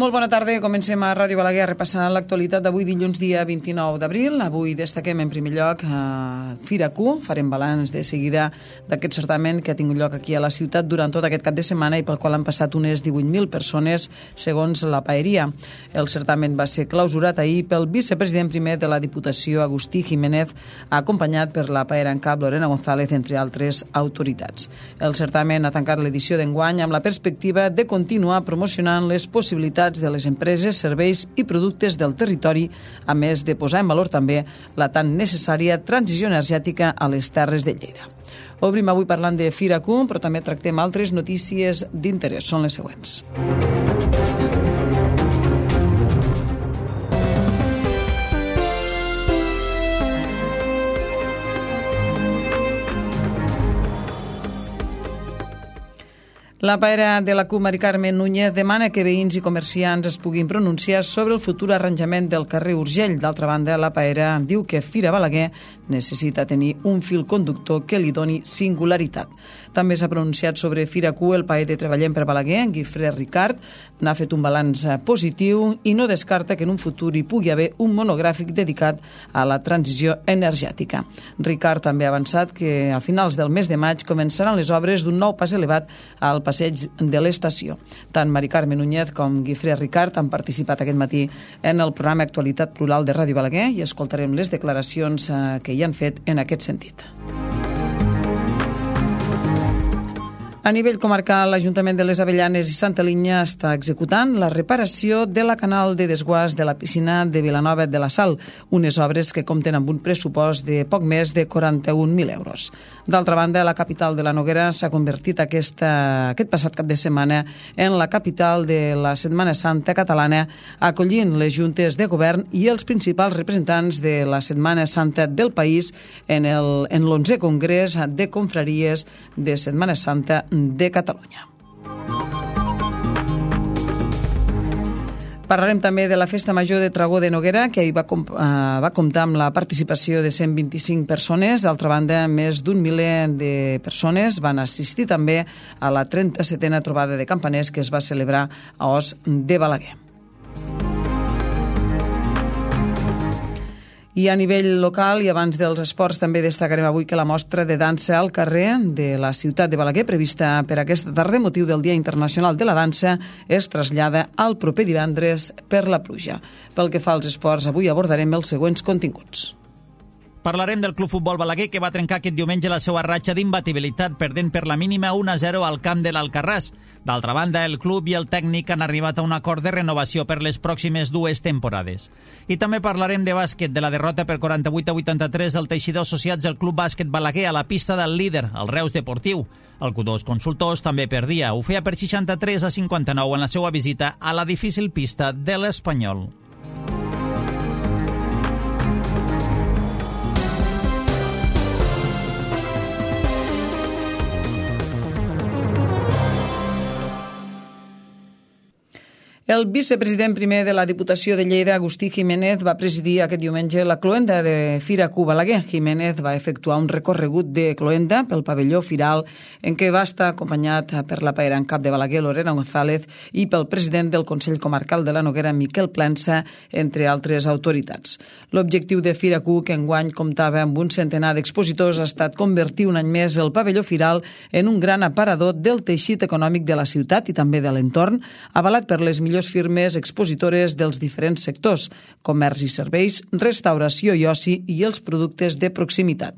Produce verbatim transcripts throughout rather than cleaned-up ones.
Molt bona tarda, comencem a Ràdio Balaguer repassant l'actualitat d'avui dilluns dia vint-i-nou d'abril. Avui destaquem en primer lloc a Fira Q, farem balanç de seguida d'aquest certamen que ha tingut lloc aquí a la ciutat durant tot aquest cap de setmana i pel qual han passat unes divuit mil persones segons la paeria. El certamen va ser clausurat ahir pel vicepresident primer de la Diputació, Agustí Jiménez, acompanyat per la paera en cap Lorena González, entre altres autoritats. El certamen ha tancat l'edició d'enguany amb la perspectiva de continuar promocionant les possibilitats de les empreses, serveis i productes del territori, a més de posar en valor també la tan necessària transició energètica a les Terres de Lleida. Obrim avui parlant de Fira Q, però també tractem altres notícies d'interès. Són les següents. La paera de la C U, Mari Carmen Núñez, demana que veïns i comerciants es puguin pronunciar sobre el futur arranjament del carrer Urgell. D'altra banda, la paera diu que Fira Balaguer necessita tenir un fil conductor que li doni singularitat. També s'ha pronunciat sobre Fira Q el paer de Treballem per Balaguer, en Guifré Ricard. N'ha fet un balanç positiu i no descarta que en un futur hi pugui haver un monogràfic dedicat a la transició energètica. Ricard també ha avançat que a finals del mes de maig començaran les obres d'un nou pas elevat al passeig de l'estació. Tant Mari Carmen Núñez com Guifré Ricard han participat aquest matí en el programa Actualitat Plural de Ràdio Balaguer i escoltarem les declaracions que hi han fet en aquest sentit. A nivell comarcal, l'Ajuntament de les Avellanes i Santa Linya està executant la reparació de la canal de desguàs de la piscina de Vilanova de la Sal, unes obres que compten amb un pressupost de poc més de quaranta-un mil euros. D'altra banda, la capital de la Noguera s'ha convertit aquesta, aquest passat cap de setmana en la capital de la Setmana Santa catalana, acollint les juntes de govern i els principals representants de la Setmana Santa del país en el, en l'onzè Congrés de Confraries de Setmana Santa de Catalunya. Parlarem també de la Festa Major de Tragó de Noguera, que ahir va, comp uh, va comptar amb la participació de cent vint-i-cinc persones. D'altra banda, més d'un miler de persones van assistir també a la trenta-setena trobada de campaners que es va celebrar a Os de Balaguer. I a nivell local i abans dels esports també destacarem avui que la mostra de dansa al carrer de la ciutat de Balaguer, prevista per aquesta tarda, motiu del Dia Internacional de la Dansa, es trasllada al proper divendres per la pluja. Pel que fa als esports, avui abordarem els següents continguts. Parlarem del Club Futbol Balaguer, que va trencar aquest diumenge la seva ratxa d'imbatibilitat, perdent per la mínima un a zero al camp de l'Alcarràs. D'altra banda, el club i el tècnic han arribat a un acord de renovació per les pròximes dues temporades. I també parlarem de bàsquet, de la derrota per quaranta-vuit a vuitanta-tres del Teixidor Associats al Club Bàsquet Balaguer a la pista del líder, el Reus Deportiu. El Q dos Consultors també perdia. Ho feia per seixanta-tres a cinquanta-nou en la seva visita a la difícil pista de l'Espanyol. El vicepresident primer de la Diputació de Lleida, Agustí Jiménez, va presidir aquest diumenge la cloenda de Fira Q Balaguer. Jiménez va efectuar un recorregut de cloenda pel pavelló firal en què va estar acompanyat per la paera en cap de Balaguer, Lorena González, i pel president del Consell Comarcal de la Noguera, Miquel Plensa, entre altres autoritats. L'objectiu de Fira Q, que enguany comptava amb un centenar d'expositors, ha estat convertir un any més el pavelló firal en un gran aparador del teixit econòmic de la ciutat i també de l'entorn, avalat per les millors firmes expositores dels diferents sectors, comerç i serveis, restauració i oci i els productes de proximitat.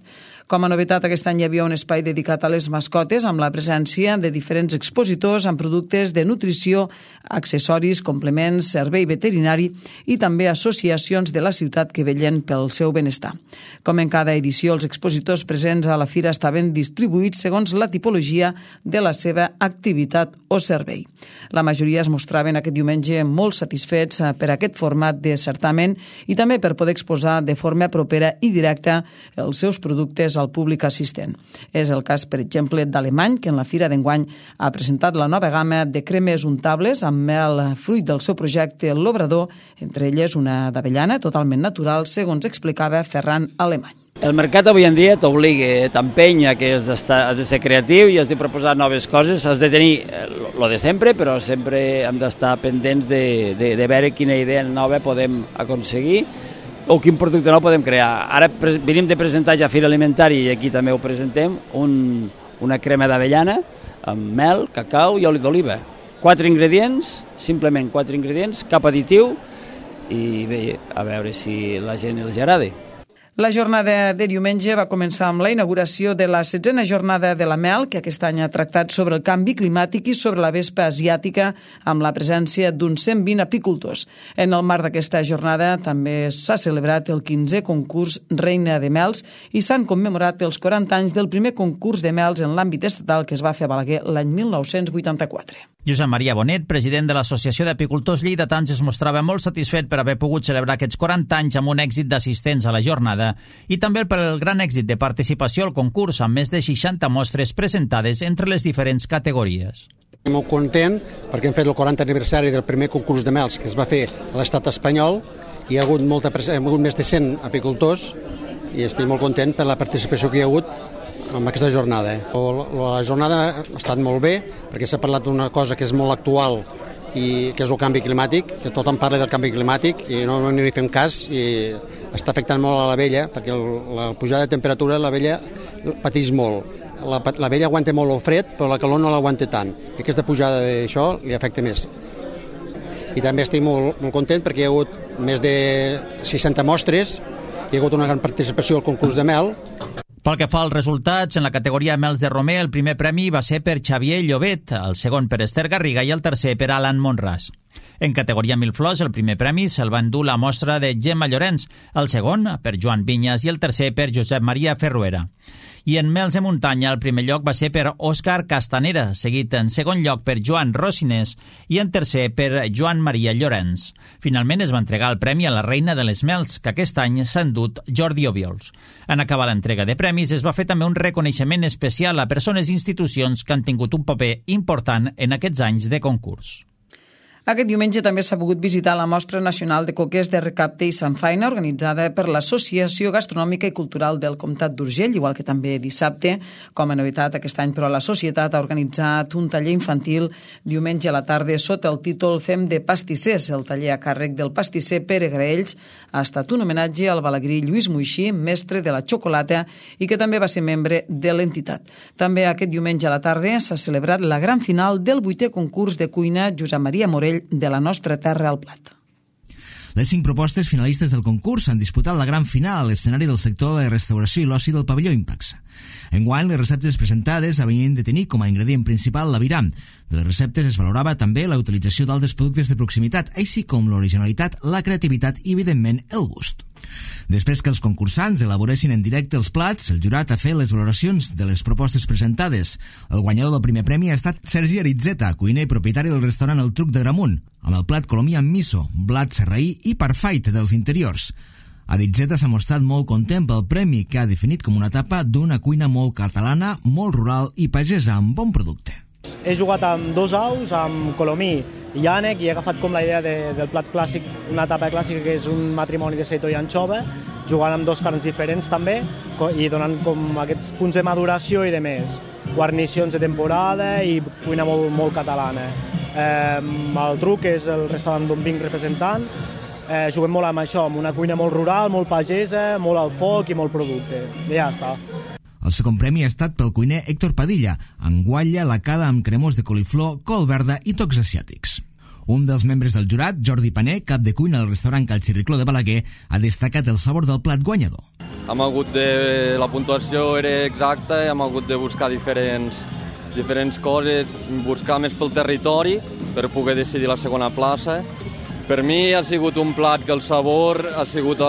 Com a novetat, aquest any hi havia un espai dedicat a les mascotes amb la presència de diferents expositors amb productes de nutrició, accessoris, complements, servei veterinari i també associacions de la ciutat que vetllen pel seu benestar. Com en cada edició, els expositors presents a la fira estaven distribuïts segons la tipologia de la seva activitat o servei. La majoria es mostraven aquest diumenge molt satisfets per aquest format de certamen i també per poder exposar de forma propera i directa els seus productes al públic assistent. És el cas, per exemple, d'Alemany, que en la fira d'enguany ha presentat la nova gamma de cremes untables amb mel fruit del seu projecte L'Obrador, entre elles una d'avellana totalment natural, segons explicava Ferran Alemany. El mercat avui en dia t'obliga, t'empenya que has, has de ser creatiu i has de proposar noves coses, has de tenir el de sempre, però sempre hem d'estar pendents de, de, de veure quina idea nova podem aconseguir o quin producte nou podem crear. Ara venim de presentar ja a Fira Alimentari, i aquí també ho presentem, un, una crema d'avellana amb mel, cacau i oli d'oliva. Quatre ingredients, simplement quatre ingredients, cap additiu, i bé, a veure si la gent els agrada. La jornada de diumenge va començar amb la inauguració de la setzena jornada de la mel, que aquest any ha tractat sobre el canvi climàtic i sobre la vespa asiàtica, amb la presència d'uns cent vint apicultors. En el marc d'aquesta jornada també s'ha celebrat el quinzè concurs Reina de Mels i s'han commemorat els quaranta anys del primer concurs de mels en l'àmbit estatal que es va fer a Balaguer l'any mil nou-cents vuitanta-quatre. Josep Maria Bonet, president de l'Associació d'Apicultors Lleidatans, es mostrava molt satisfet per haver pogut celebrar aquests quaranta anys amb un èxit d'assistents a la jornada i també per el gran èxit de participació al concurs amb més de seixanta mostres presentades entre les diferents categories. Estic molt content perquè hem fet el quaranta aniversari del primer concurs de mels que es va fer a l'estat espanyol i hi ha hagut, molta, hi ha hagut més de cent apicultors i estic molt content per la participació que hi ha hagut amb aquesta jornada. La jornada ha estat molt bé perquè s'ha parlat d'una cosa que és molt actual i que és el canvi climàtic, que tothom parla del canvi climàtic i no n'hi fem cas i està afectant molt a l'abella perquè la pujada de temperatura l'abella pateix molt. L'abella aguanta molt el fred però la calor no l'aguanta tant i aquesta pujada d'això li afecta més. I també estic molt, molt content perquè hi ha hagut més de seixanta mostres, hi ha hagut una gran participació al concurs de mel. Pel que fa als resultats, en la categoria Mels de Romer, el primer premi va ser per Xavier Llobet, el segon per Esther Garriga i el tercer per Alan Monràs. En categoria Mil Flors, el primer premi se'l va endur la mostra de Gemma Llorenç, el segon per Joan Vinyas i el tercer per Josep Maria Ferruera. I en Mels de Muntanya el primer lloc va ser per Òscar Castanera, seguit en segon lloc per Joan Rosinés i en tercer per Joan Maria Llorenç. Finalment es va entregar el premi a la reina de les Mels, que aquest any s'ha endut Jordi Obiols. En acabar l'entrega de premis es va fer també un reconeixement especial a persones i institucions que han tingut un paper important en aquests anys de concurs. Aquest diumenge també s'ha pogut visitar la Mostra Nacional de Coques de Recapte i Samfaina, organitzada per l'Associació Gastronòmica i Cultural del Comtat d'Urgell, igual que també dissabte. Com a novetat, aquest any, però, la societat ha organitzat un taller infantil diumenge a la tarda sota el títol Fem de pastissers. El taller a càrrec del pastisser Pere Graells ha estat un homenatge al balagrí Lluís Moixí, mestre de la xocolata i que també va ser membre de l'entitat. També aquest diumenge a la tarda s'ha celebrat la gran final del vuitè concurs de cuina Josep Maria Morell de la nostra terra al plat. Les cinc propostes finalistes del concurs han disputat la gran final a l'escenari del sector de restauració i l'oci del pavelló Impax. Enguany, les receptes presentades havien de tenir com a ingredient principal l'aviram. De les receptes es valorava també la utilització d'altres productes de proximitat, així com l'originalitat, la creativitat i, evidentment, el gust. Després que els concursants elaboressin en directe els plats, el jurat ha fet les valoracions de les propostes presentades. El guanyador del primer premi ha estat Sergi Aritzeta, cuiner i propietari del restaurant El Truc de Gramunt, amb el plat colomí amb miso, blat serraí i parfait dels interiors. Aritzeta s'ha mostrat molt content pel premi que ha definit com una etapa d'una cuina molt catalana, molt rural i pagesa amb bon producte. He jugat amb dos aus, amb colomí i ànec, i he agafat com la idea de, del plat clàssic, una etapa clàssica que és un matrimoni de seitó i anxova, jugant amb dos carns diferents també i donant com aquests punts de maduració i de més. Guarnicions de temporada i cuina molt, molt catalana. Eh, el Truc és el restaurant d'on vinc representant. Eh, juguem molt amb això, amb una cuina molt rural, molt pagesa, molt al foc i molt producte. I ja està. El segon premi ha estat pel cuiner Héctor Padilla, amb guatlla lacada amb cremós de coliflor, col verda i tocs asiàtics. Un dels membres del jurat, Jordi Paner, cap de cuina al restaurant Cal Xirricló de Balaguer, ha destacat el sabor del plat guanyador. Hem hagut de... La puntuació era exacta, hem hagut de buscar diferents, diferents coses, buscar més pel territori per poder decidir la segona plaça. Per mi ha sigut un plat que el sabor ha sigut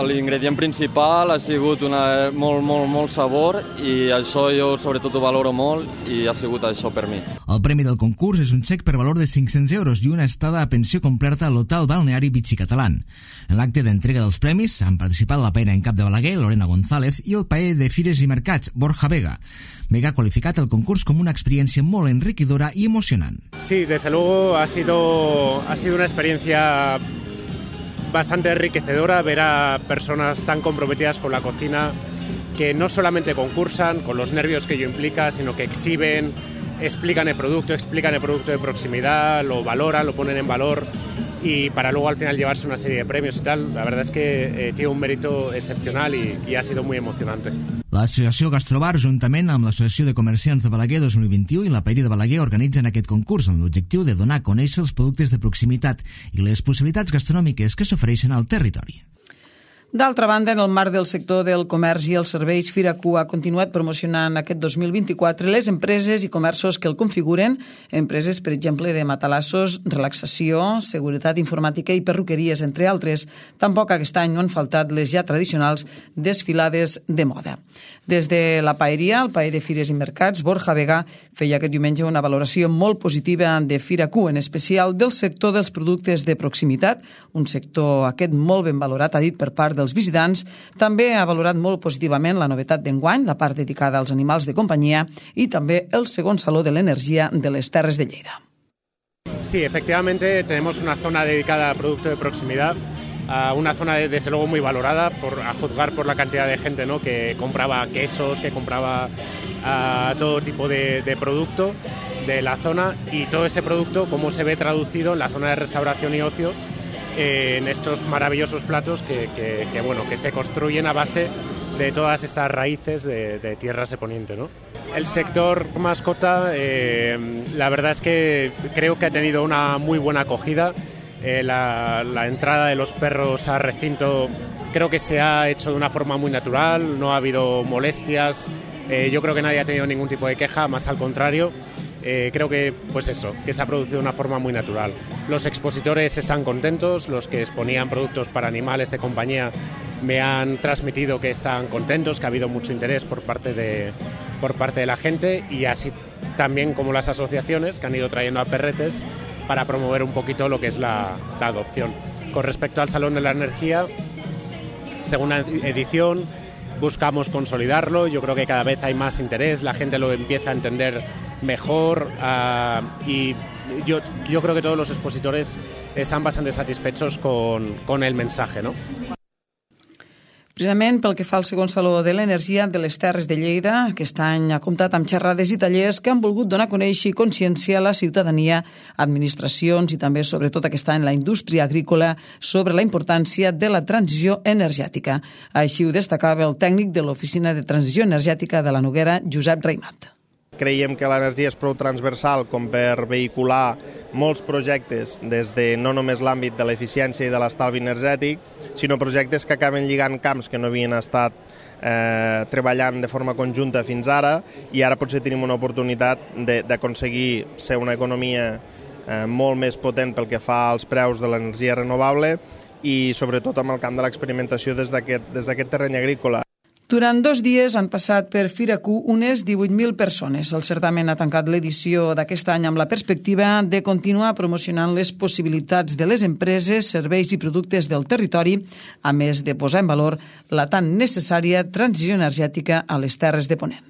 l'ingredient principal, ha sigut una, molt, molt, molt sabor i això jo sobretot ho valoro molt i ha sigut això per mi. El premi del concurs és un xec per valor de cinc-cents euros i una estada a pensió completa a l'hotel balneari Vichy Catalán. En l'acte d'entrega dels premis han participat la paella en cap de Balaguer, Lorena González, i el paella de Fires i Mercats, Borja Vega. Vega ha qualificat el concurs com una experiencia molt enriquidora y emocionant. Sí, desde luego ha sido, ha sido una experiencia bastante enriquecedora ver a personas tan comprometidas con la cocina que no solamente concursan con los nervios que ello implica, sino que exhiben, explican el producto, explican el producto de proximidad, lo valoran, lo ponen en valor y para luego al final llevarse una serie de premios y tal. La verdad es que eh, tiene un mérito excepcional y, y ha sido muy emocionante. L'Associació Gastrobar, juntament amb l'Associació de Comerciants de Balaguer dos mil vint-i-u i la Paella de Balaguer, organitzen aquest concurs amb l'objectiu de donar a conèixer els productes de proximitat i les possibilitats gastronòmiques que s'ofereixen al territori. D'altra banda, en el marc del sector del comerç i els serveis, Firacu ha continuat promocionant aquest dos mil vint-i-quatre les empreses i comerços que el configuren, empreses, per exemple, de matalassos, relaxació, seguretat informàtica i perruqueries, entre altres. Tampoc aquest any no han faltat les ja tradicionals desfilades de moda. Des de la paeria, el paer de Fires i Mercats, Borja Vega, feia aquest diumenge una valoració molt positiva de Firacu, en especial del sector dels productes de proximitat, un sector aquest molt ben valorat, ha dit, per part dels visitants. També ha valorat molt positivament la novetat d'enguany, la part dedicada als animals de companyia i també el segon saló de l'energia de les Terres de Lleida. Sí, efectivamente tenemos una zona dedicada a producto de proximidad, uh, una zona de, desde luego muy valorada, por, a juzgar por la cantidad de gente, ¿no?, que compraba quesos, que compraba uh, todo tipo de, de producto de la zona, y todo ese producto cómo se ve traducido en la zona de restauración y ocio, en estos maravillosos platos que, que, que, bueno, que se construyen a base de todas estas raíces de, de tierras de Poniente, ¿no? El sector mascota, eh, la verdad es que creo que ha tenido una muy buena acogida. Eh, la, la entrada de los perros al recinto creo que se ha hecho de una forma muy natural, no ha habido molestias, eh, yo creo que nadie ha tenido ningún tipo de queja, más al contrario. Eh, creo que, pues eso, que se ha producido de una forma muy natural. Los expositores están contentos, los que exponían productos para animales de compañía me han transmitido que están contentos, que ha habido mucho interés por parte de, por parte de la gente, y así también como las asociaciones que han ido trayendo a perretes para promover un poquito lo que es la, la adopción. Con respecto al Salón de la Energía, segunda edición, buscamos consolidarlo. Yo creo que cada vez hay más interés, la gente lo empieza a entender mejor, uh, y yo, yo creo que todos los expositores están bastante satisfechos con, con el mensaje, ¿no? Precisament pel que fa al segon saló de l'energia de les Terres de Lleida, aquest any ha comptat amb xerrades i tallers que han volgut donar a conèixer i conscienciar la ciutadania, administracions i també, sobretot aquest any, la indústria agrícola sobre la importància de la transició energètica. Així ho destacava el tècnic de l'Oficina de Transició Energètica de la Noguera, Josep Raimat. Creiem que l'energia és prou transversal com per vehicular molts projectes des de no només l'àmbit de l'eficiència i de l'estalvi energètic, sinó projectes que acaben lligant camps que no havien estat eh, treballant de forma conjunta fins ara, i ara potser tenim una oportunitat d'aconseguir ser una economia eh, molt més potent pel que fa als preus de l'energia renovable i sobretot amb el camp de l'experimentació des d'aquest des d'aquest terreny agrícola. Durant dos dies han passat per Firacu unes divuit mil persones. El certamen ha tancat l'edició d'aquest any amb la perspectiva de continuar promocionant les possibilitats de les empreses, serveis i productes del territori, a més de posar en valor la tan necessària transició energètica a les Terres de Ponent.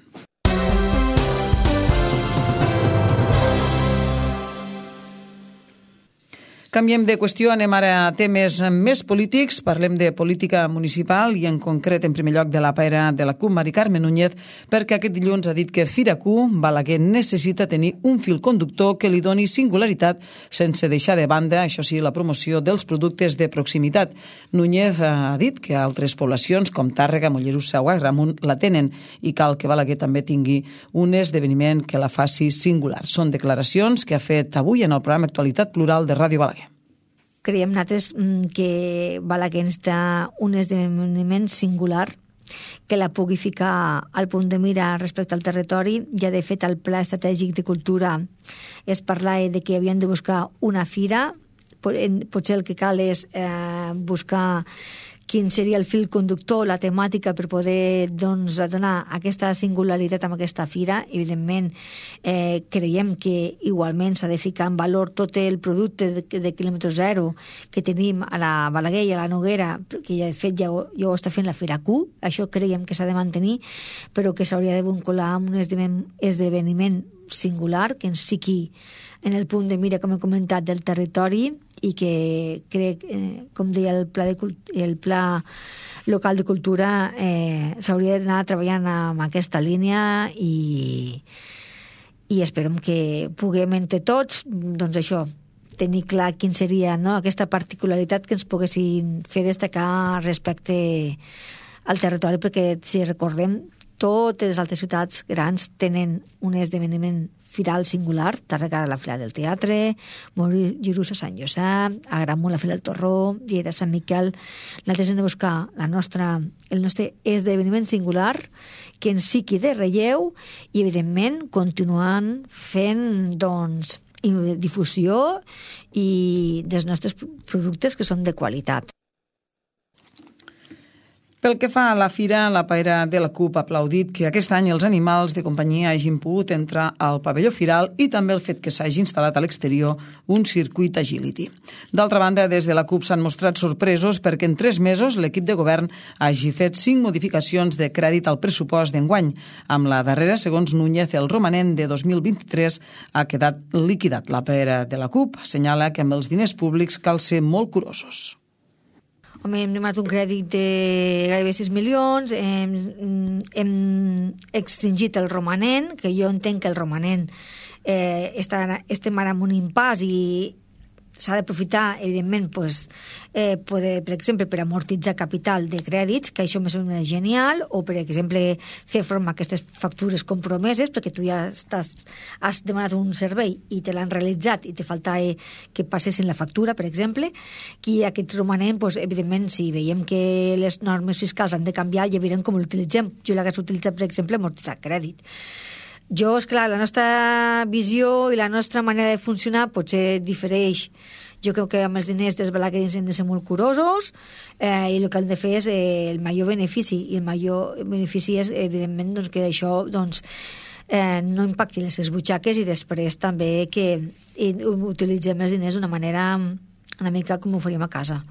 Canviem de qüestió, anem ara a temes més polítics. Parlem de política municipal i en concret, en primer lloc, de la paera de la C U P, Mari Carme Núñez, perquè aquest dilluns ha dit que Firacu, Balaguer, necessita tenir un fil conductor que li doni singularitat sense deixar de banda, això sí, la promoció dels productes de proximitat. Núñez ha dit que altres poblacions com Tàrrega, Mollerussa o Agramunt la tenen i cal que Balaguer també tingui un esdeveniment que la faci singular. Són declaracions que ha fet avui en el programa Actualitat Plural de Ràdio Balaguer. Creiem nosaltres que Balaguer necessita un esdeveniment singular que la pugui ficar al punt de mira respecte al territori. Ja, de fet, el Pla Estratègic de Cultura es parlava de que havien de buscar una fira. Potser el que cal és eh, buscar quin seria el fil conductor, la temàtica per poder doncs, donar aquesta singularitat amb aquesta fira. Evidentment, eh, creiem que igualment s'ha de ficar en valor tot el producte de, de quilòmetre zero que tenim a la Balaguer i a la Noguera, que ja, de fet ja ho, ja ho està fent la Fira Q. Això creiem que s'ha de mantenir, però que s'hauria de vincular amb un esdeveniment singular, que ens fiqui en el punt de mira, com he comentat, del territori i que crec, eh, com deia el pla, de, el pla local de cultura, eh, s'hauria d'anar treballant amb aquesta línia i, i esperem que puguem entre tots, doncs això, tenir clar quin seria, no?, aquesta particularitat que ens poguessin fer destacar respecte al territori, perquè si recordem, totes les altres ciutats grans tenen un esdeveniment firal singular, Tàrrega la Fira del Teatre, Mollerussa Sant Josep, Agramunt la Fira del Torró, Lleida Sant Miquel. Nosaltres hem de buscar la nostra, el nostre esdeveniment singular que ens fiqui de relleu i, evidentment, continuant fent, doncs, difusió i dels nostres productes que són de qualitat. Pel que fa a la fira, la paera de la CUP ha aplaudit que aquest any els animals de companyia hagin pogut entrar al pavelló firal i també el fet que s'hagi instal·lat a l'exterior un circuit agility. D'altra banda, des de la CUP s'han mostrat sorpresos perquè en tres mesos l'equip de govern hagi fet cinc modificacions de crèdit al pressupost d'enguany. Amb la darrera, segons Núñez, el romanent de dos mil vint-i-tres ha quedat liquidat. La paera de la CUP assenyala que amb els diners públics cal ser molt curosos. Home, hem demanat un crèdit de gairebé sis milions, hem, hem extingit el romanent, que jo entenc que el romanent eh, està, estem ara en un impàs i s'ha d'aprofitar, evidentment, pues, eh, poder, per exemple, per amortitzar capital de crèdits, que això me sembla genial, o, per exemple, fer front a aquestes factures compromeses, perquè tu ja estàs, has demanat un servei i te l'han realitzat i te falta eh, que passessin la factura, per exemple, que aquest romanent, pues, evidentment, si veiem que les normes fiscals han de canviar, ja veurem com l'utilitzem. Jo l'hagués utilitzat, per exemple, amortitzar crèdit. Jo, esclar, la nostra visió i la nostra manera de funcionar potser difereix. Jo crec que amb els diners dels balaguerins hem de ser molt curosos eh, i el que hem de fer és eh, el major benefici, i el major benefici és, evidentment, doncs, que això doncs, eh, no impacti les seves butxaques i després també que utilitzem els diners d'una manera una mica com ho faríem a casa.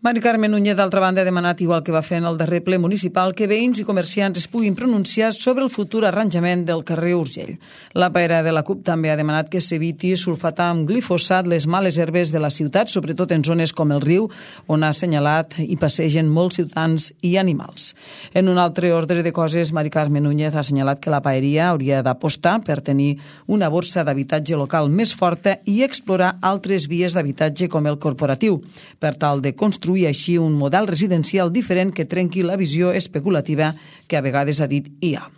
Mari Carme Núñez, d'altra banda, ha demanat, igual que va fer en el darrer ple municipal, que veïns i comerciants es puguin pronunciar sobre el futur arranjament del carrer Urgell. La paera de la CUP també ha demanat que s'eviti sulfatar amb glifosat les males herbes de la ciutat, sobretot en zones com el riu, on ha assenyalat i passegen molts ciutadans i animals. En un altre ordre de coses, Mari Carme Núñez ha assenyalat que la paeria hauria d'apostar per tenir una borsa d'habitatge local més forta i explorar altres vies d'habitatge com el corporatiu, per tal de construir i així un model residencial diferent que trenqui la visió especulativa que a vegades ha dit hi ha.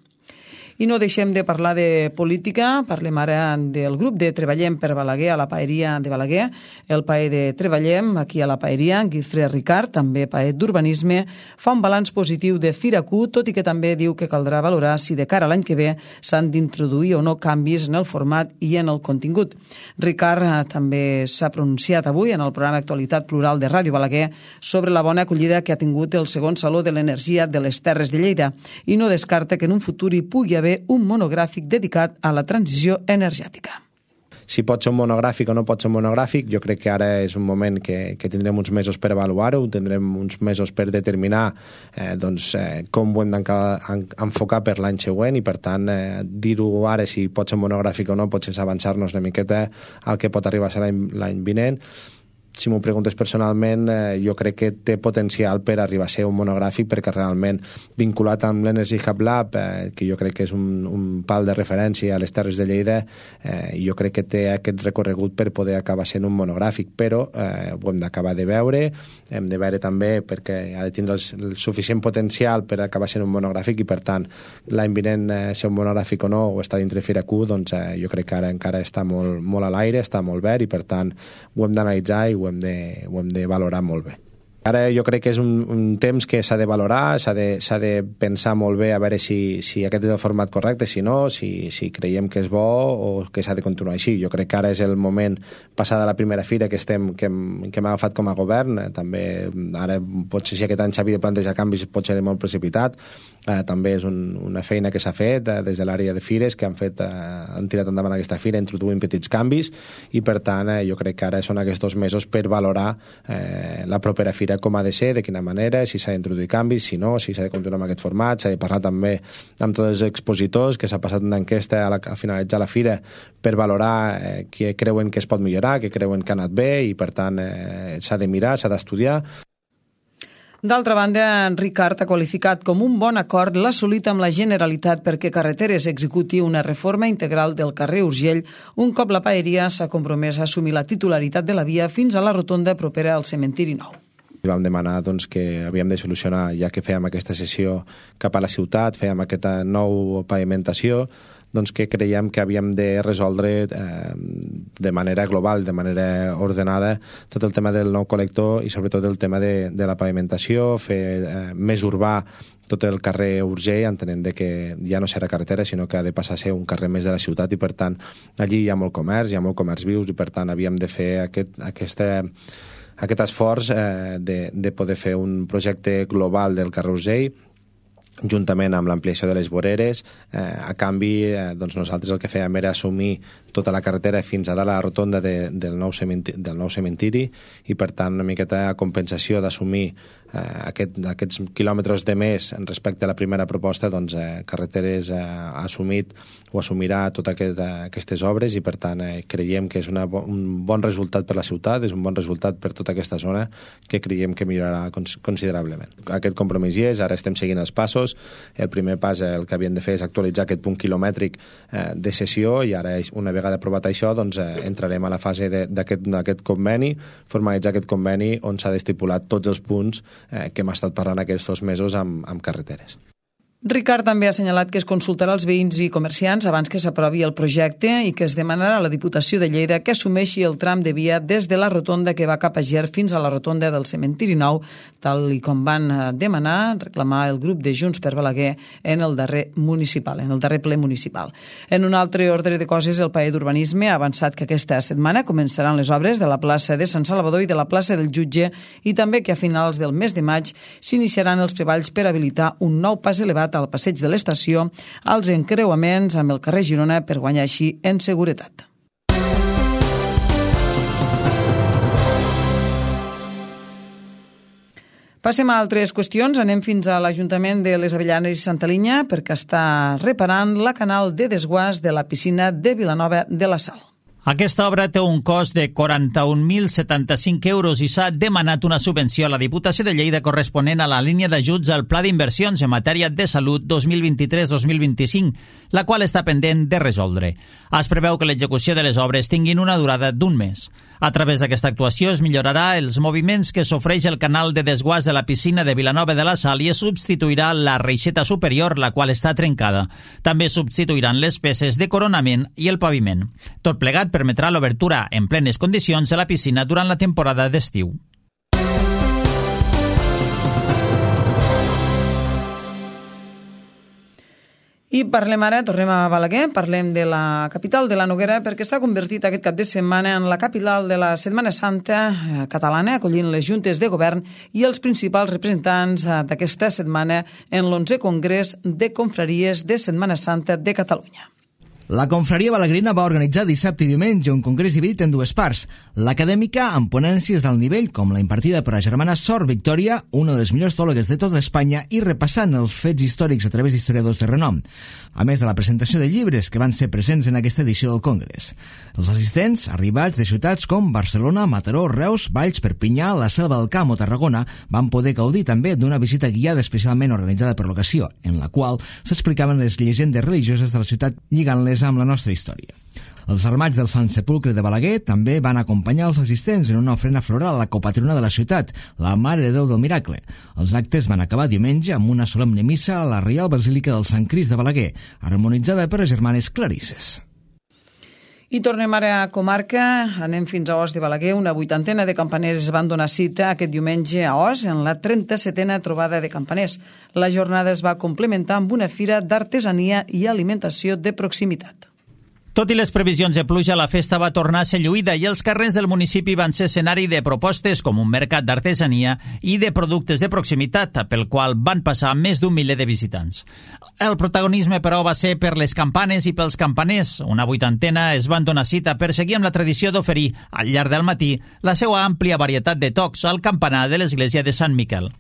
I no deixem de parlar de política, parlem ara del grup de Treballem per Balaguer a la paeria de Balaguer. El paer de Treballem, aquí a la paeria, Guifré Ricard, també paer d'urbanisme, fa un balanç positiu de Firacu, tot i que també diu que caldrà valorar si de cara a l'any que ve s'han d'introduir o no canvis en el format i en el contingut. Ricard també s'ha pronunciat avui en el programa Actualitat Plural de Ràdio Balaguer sobre la bona acollida que ha tingut el segon Saló de l'Energia de les Terres de Lleida i no descarta que en un futur hi pugui haver un monogràfic dedicat a la transició energètica. Si pot ser un monogràfic o no pot ser un monogràfic, jo crec que ara és un moment que, que tindrem uns mesos per avaluar-ho, tindrem uns mesos per determinar eh, doncs, eh, com ho hem d'enfocar per l'any següent i, per tant, eh, dir-ho ara si pot ser un monogràfic o no potser és avançar-nos una miqueta al que pot arribar a ser l'any, l'any vinent. Si m'ho preguntes personalment, eh, jo crec que té potencial per arribar a ser un monogràfic perquè realment vinculat amb l'Energy Hub Lab, eh, que jo crec que és un, un pal de referència a les Terres de Lleida, eh, jo crec que té aquest recorregut per poder acabar sent un monogràfic, però eh, ho hem d'acabar de veure, hem de veure també perquè ha de tindre el, el suficient potencial per acabar sent un monogràfic i, per tant, l'any vinent eh, ser un monogràfic o no, o està dintre Firacu, doncs eh, jo crec que ara encara està molt, molt a l'aire, està molt verd i, per tant, ho hem d'analitzar i ho ho hem de, ho hem de valorar molt bé. Ara jo crec que és un, un temps que s'ha de valorar, s'ha de, s'ha de pensar molt bé a veure si, si aquest és el format correcte, si no, si, si creiem que és bo o que s'ha de continuar així. Jo crec que ara és el moment, passada la primera fira que, estem, que, hem, que hem agafat com a govern, eh, també ara potser si aquest any s'havia de plantejar canvis pot ser molt precipitat, eh, també és un, una feina que s'ha fet eh, des de l'àrea de fires que han, fet, eh, han tirat endavant aquesta fira introduint petits canvis i, per tant, eh, jo crec que ara són aquests dos mesos per valorar eh, la propera fira treballar com ha de ser, de quina manera, si s'ha d'introduir canvis, si no, si s'ha de continuar amb aquest format, s'ha de parlar també amb tots els expositors, que s'ha passat una enquesta a, la, a finalitzar la fira per valorar eh, què creuen que es pot millorar, què creuen que ha anat bé, i per tant eh, s'ha de mirar, s'ha d'estudiar. D'altra banda, Ricard ha qualificat com un bon acord l'assolit amb la Generalitat perquè Carreteres executi una reforma integral del carrer Urgell, un cop la paeria s'ha compromès a assumir la titularitat de la via fins a la rotonda propera al cementiri nou. Vam demanar doncs, que havíem de solucionar, ja que fèiem aquesta sessió cap a la ciutat, fèiem aquesta nou pavimentació, doncs que creiem que havíem de resoldre eh, de manera global, de manera ordenada, tot el tema del nou col·lector i sobretot el tema de, de la pavimentació, fer eh, més urbà tot el carrer Urgell, entenent de que ja no serà carretera, sinó que ha de passar a ser un carrer més de la ciutat, i per tant allí hi ha molt comerç, hi ha molt comerç vius, i per tant havíem de fer aquest, aquesta, aquest esforç eh, de, de poder fer un projecte global del carrer Urgell, juntament amb l'ampliació de les voreres. Eh, a canvi, eh, doncs nosaltres el que fèiem era assumir tota la carretera fins a dalt a la rotonda de, del, nou cementiri, del nou cementiri, i per tant una miqueta compensació d'assumir eh, aquest, aquests quilòmetres de més respecte a la primera proposta. Doncs eh, Carreteres eh, ha assumit o assumirà totes aquest, eh, aquestes obres, i per tant eh, creiem que és una, un bon resultat per la ciutat, és un bon resultat per tota aquesta zona, que creiem que millorarà cons considerablement. Aquest compromís hi és, ara estem seguint els passos. El primer pas, el que havien de fer és actualitzar aquest punt quilomètric eh, de cessió, i ara una vegada aprovat això, doncs eh, entrarem a la fase d'aquest conveni, formalitzar aquest conveni on s'ha d'estipular tots els punts eh, que hem estat parlant aquests dos mesos amb, amb Carreteres. Ricard també ha assenyalat que es consultarà als veïns i comerciants abans que s'aprovi el projecte i que es demanarà a la Diputació de Lleida que assumeixi el tram de via des de la rotonda que va cap a Ger fins a la rotonda del cementiri nou, tal i com van demanar, reclamar el grup de Junts per Balaguer en el darrer municipal, en el darrer ple municipal. En un altre ordre de coses, el paer d'Urbanisme ha avançat que aquesta setmana començaran les obres de la plaça de Sant Salvador i de la plaça del Jutge, i també que a finals del mes de maig s'iniciaran els treballs per habilitar un nou pas elevat al passeig de l'estació, als encreuaments amb el carrer Girona, per guanyar així en seguretat. Passem a altres qüestions. Anem fins a l'Ajuntament de les Avellanes i Santa Linya perquè està reparant la canal de desguàs de la piscina de Vilanova de la Sal. Aquesta obra té un cost de quaranta-un mil setanta-cinc euros i s'ha demanat una subvenció a la Diputació de Lleida corresponent a la línia d'ajuts al Pla d'Inversions en matèria de salut dos mil vint-i-tres dos mil vint-i-cinc, la qual està pendent de resoldre. Es preveu que l'execució de les obres tinguin una durada d'un mes. A través d'aquesta actuació es millorarà els moviments que s'ofereix el canal de desguàs de la piscina de Vilanova de la Sal i es substituirà la reixeta superior, la qual està trencada. També substituiran les peces de coronament i el paviment. Tot plegat permetrà l'obertura en plenes condicions de la piscina durant la temporada d'estiu. I parlem ara, tornem a Balaguer, parlem de la capital de la Noguera, perquè s'ha convertit aquest cap de setmana en la capital de la Setmana Santa catalana, acollint les juntes de govern i els principals representants d'aquesta setmana en l'onzè Congrés de Confraries de Setmana Santa de Catalunya. La confraria balaguerina va organitzar dissabte i diumenge un congrés dividit en dues parts. L'acadèmica, amb ponències d'alt nivell, com la impartida per la germana Sor Victòria, una de les millors teòlogues de tota Espanya, i repassant els fets històrics a través d'historiadors de renom, a més de la presentació de llibres que van ser presents en aquesta edició del congrés. Els assistents, arribats de ciutats com Barcelona, Mataró, Reus, Valls, Perpinyà, la Selva del Camp o Tarragona, van poder gaudir també d'una visita guiada especialment organitzada per l'ocasió, en la qual s'explicaven les llegendes religioses de la ciutat lligant-les amb la nostra història. Els armats del Sant Sepulcre de Balaguer també van acompanyar els assistents en una ofrena floral a la copatrona de la ciutat, la Mare de Déu del Miracle. Els actes van acabar diumenge amb una solemne missa a la Reial Basílica del Sant Crist de Balaguer, harmonitzada per les germanes Clarisses. I tornem ara a comarca, anem fins a Os de Balaguer. Una vuitantena de campaners van donar cita aquest diumenge a Os en la trenta-setena trobada de campaners. La jornada es va complementar amb una fira d'artesania i alimentació de proximitat. Tot i les previsions de pluja, la festa va tornar a ser lluïda i els carrers del municipi van ser escenari de propostes com un mercat d'artesania i de productes de proximitat, pel qual van passar més d'un miler de visitants. El protagonisme, però, va ser per les campanes i pels campaners. Una vuitantena es van donar cita per seguir amb la tradició d'oferir, al llarg del matí, la seva àmplia varietat de tocs al campanar de l'església de Sant Miquel.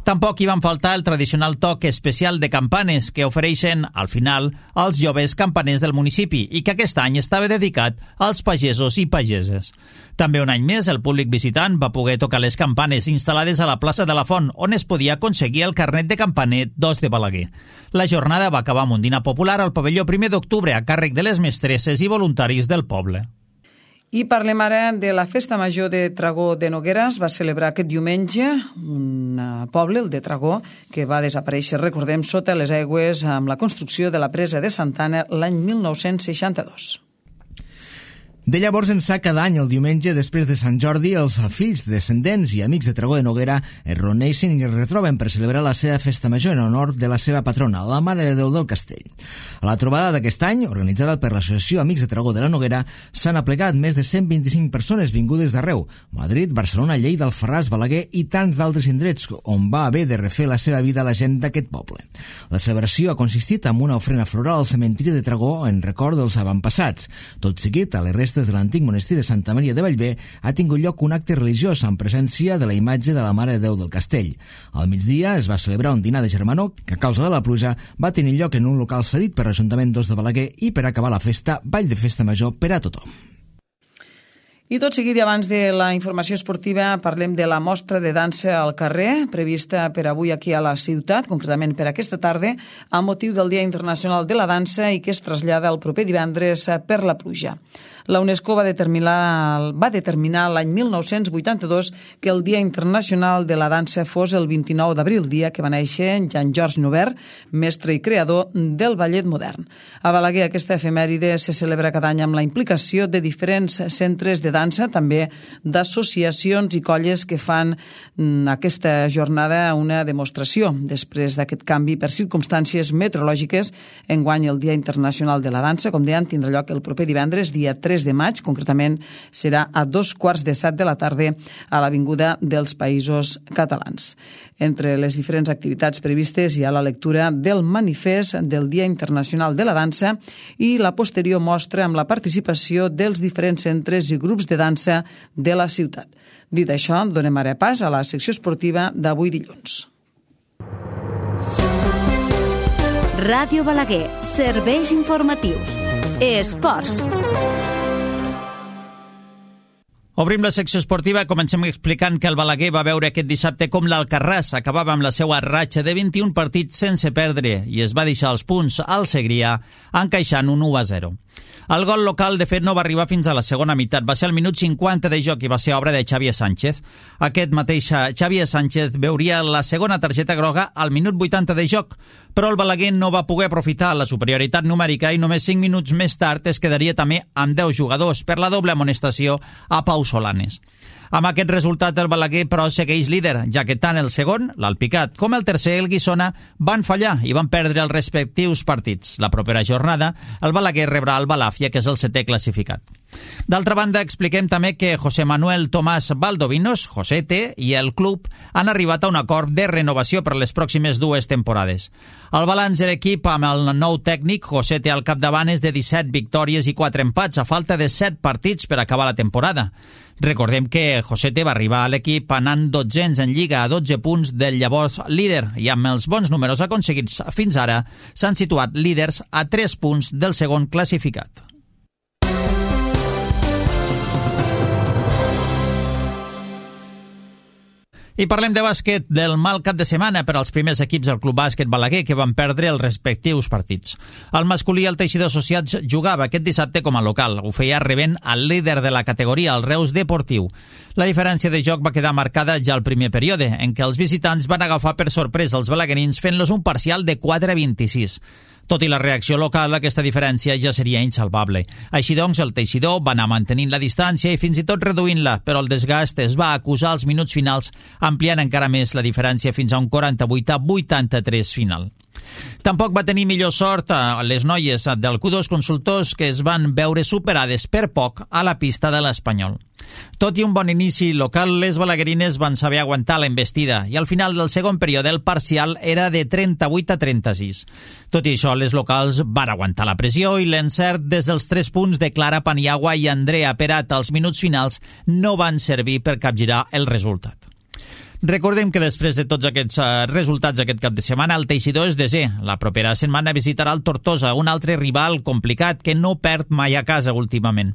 Tampoc hi van faltar el tradicional toc especial de campanes que ofereixen, al final, als joves campaners del municipi i que aquest any estava dedicat als pagesos i pageses. També un any més, el públic visitant va poder tocar les campanes instal·lades a la plaça de la Font, on es podia aconseguir el carnet de campaner dos de Balaguer. La jornada va acabar amb un dinar popular al pavelló primer d'octubre a càrrec de les mestresses i voluntaris del poble. I parlem ara de la Festa Major de Tragó de Noguera. Es va celebrar aquest diumenge un poble, el de Tragó, que va desaparèixer, recordem, sota les aigües amb la construcció de la presa de Santana l'any mil nou-cents seixanta-dos. De llavors ençà, cada any, el diumenge, després de Sant Jordi, els fills, descendents i amics de Tragó de Noguera es reuneixen i es retroben per celebrar la seva festa major en honor de la seva patrona, la Mare de Déu del Castell. A la trobada d'aquest any, organitzada per l'Associació Amics de Tragó de la Noguera, s'han aplegat més de cent vint-i-cinc persones vingudes d'arreu: Madrid, Barcelona, Lleida, Alfarràs, Balaguer i tants d'altres indrets on va haver de refer la seva vida a la gent d'aquest poble. La celebració ha consistit en una ofrena floral al cementiri de Tragó en record dels avantpassats. Tot seguit, a les restes de l'antic monestir de Santa Maria de Bellver ha tingut lloc un acte religiós en presència de la imatge de la Mare de Déu del Castell. Al migdia es va celebrar un dinar de germanor que, a causa de la pluja, va tenir lloc en un local cedit per l'Ajuntament dos de Balaguer i, per acabar la festa, ball de festa major per a tothom. I tot seguit, i abans de la informació esportiva, parlem de la mostra de dansa al carrer, prevista per avui aquí a la ciutat, concretament per aquesta tarda, amb motiu del Dia Internacional de la Dansa i que es trasllada el proper divendres per la pluja. La UNESCO va determinar, va determinar l'any mil nou-cents vuitanta-dos que el Dia Internacional de la Dansa fos el vint-i-nou d'abril, dia que va néixer Jean-Georges Noubert, mestre i creador del ballet modern. A Balaguer, aquesta efemèride se celebra cada any amb la implicació de diferents centres de dansa, també d'associacions i colles que fan aquesta jornada una demostració. Després d'aquest canvi per circumstàncies meteorològiques, enguany el Dia Internacional de la Dansa, com deien, tindrà lloc el proper divendres, dia tres de maig, concretament serà a dos quarts de set de la tarda a l'Avinguda dels Països Catalans. Entre les diferents activitats previstes hi ha la lectura del manifest del Dia Internacional de la Dansa i la posterior mostra amb la participació dels diferents centres i grups de dansa de la ciutat. Dit això, donem ara pas a la secció esportiva d'avui dilluns. Ràdio Balaguer, serveis informatius. Esports. Obrim la secció esportiva. Comencem explicant que el Balaguer va veure aquest dissabte com l'Alcarràs acabava amb la seva ratxa de vint-i-un partits sense perdre i es va deixar els punts al Segrià encaixant un u a zero. El gol local, de fet, no va arribar fins a la segona meitat. Va ser al minut cinquanta de joc i va ser obra de Xavier Sánchez. Aquest mateix Xavier Sánchez veuria la segona targeta groga al minut vuitanta de joc, però el Balaguer no va poder aprofitar la superioritat numèrica i només cinc minuts més tard es quedaria també amb deu jugadors per la doble amonestació a Pau Solanes. Amb aquest resultat, el Balaguer, però, segueix líder, ja que tant el segon, l'Alpicat, com el tercer, el Guissona, van fallar i van perdre els respectius partits. La propera jornada, el Balaguer rebrà el Balàfia, que és el setè classificat. D'altra banda, expliquem també que José Manuel Tomás Valdovinos, Josete, i el club han arribat a un acord de renovació per les pròximes dues temporades. El balanç de l'equip amb el nou tècnic, Josete al capdavant, és de disset victòries i quatre empats, a falta de set partits per acabar la temporada. Recordem que Josete va arribar a l'equip anant dotzens en Lliga a dotze punts del llavors líder i amb els bons números aconseguits fins ara s'han situat líders a tres punts del segon classificat. I parlem de bàsquet, del mal cap de setmana per als primers equips del Club Bàsquet Balaguer, que van perdre els respectius partits. El masculí, el Teixidor Associats, jugava aquest dissabte com a local. Ho feia rebent al líder de la categoria, el Reus Deportiu. La diferència de joc va quedar marcada ja al primer període, en què els visitants van agafar per sorpresa els balaguerins fent-los un parcial de quatre a vint-i-sis. Tot i la reacció local, aquesta diferència ja seria insalvable. Així doncs, el Teixidor va anar mantenint la distància i fins i tot reduint-la, però el desgast es va acusar als minuts finals, ampliant encara més la diferència fins a un quaranta-vuit a vuitanta-tres final. Tampoc va tenir millor sort a les noies del Q dos Consultors, que es van veure superades per poc a la pista de l'Espanyol. Tot i un bon inici local, les balaguerines van saber aguantar la embestida i al final del segon període el parcial era de trenta-vuit a trenta-sis. Tot i això, les locals van aguantar la pressió i l'encert des dels tres punts de Clara Paniagua i Andrea Perat als minuts finals no van servir per capgirar el resultat. Recordem que després de tots aquests uh, resultats aquest cap de setmana, el Teixidor és desè. La propera setmana visitarà el Tortosa, un altre rival complicat que no perd mai a casa últimament.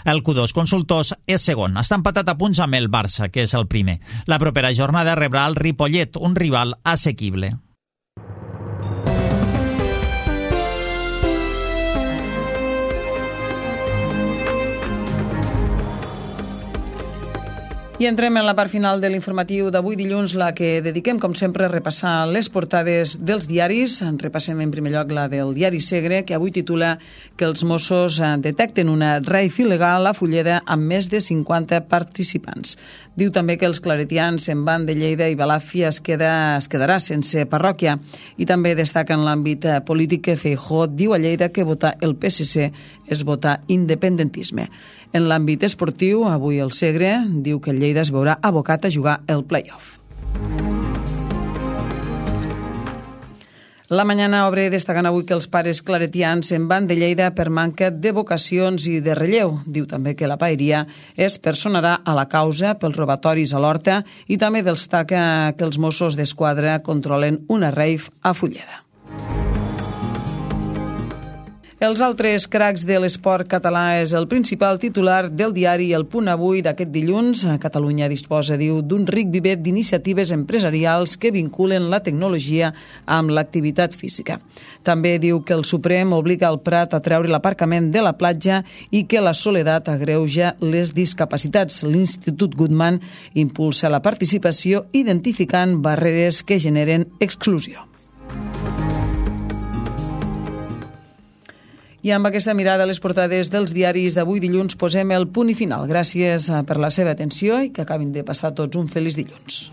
El Q dos Consultors és segon. Està empatat a punts amb el Barça, que és el primer. La propera jornada rebrà el Ripollet, un rival assequible. I entrem en la part final de l'informatiu d'avui dilluns, la que dediquem, com sempre, a repassar les portades dels diaris. En repassem en primer lloc la del diari Segre, que avui titula que els Mossos detecten una raif il·legal a Fulleda amb més de cinquanta participants. Diu també que els claretians se'n van de Lleida i Balàfia es, queda, es quedarà sense parròquia. I també destaca en l'àmbit polític que Feijóo diu a Lleida que votar el P S C és votar independentisme. En l'àmbit esportiu, avui el Segre diu que el Lleida es veurà abocat a jugar el play-off. La Mañana obre destacant avui que els pares claretians se'n van de Lleida per manca de vocacions i de relleu. Diu també que la paeria es personarà a la causa pels robatoris a l'Horta i també destaca que els Mossos d'Esquadra controlen una raif a Fulleda. Els altres cracs de l'esport català és el principal titular del diari El Punt Avui d'aquest dilluns. Catalunya disposa, diu, d'un ric vivet d'iniciatives empresarials que vinculen la tecnologia amb l'activitat física. També diu que el Suprem obliga el Prat a treure l'aparcament de la platja i que la soledat agreuja les discapacitats. L'Institut Goodman impulsa la participació identificant barreres que generen exclusió. I amb aquesta mirada a les portades dels diaris d'avui dilluns posem el punt i final. Gràcies per la seva atenció i que acabin de passar tots un feliç dilluns.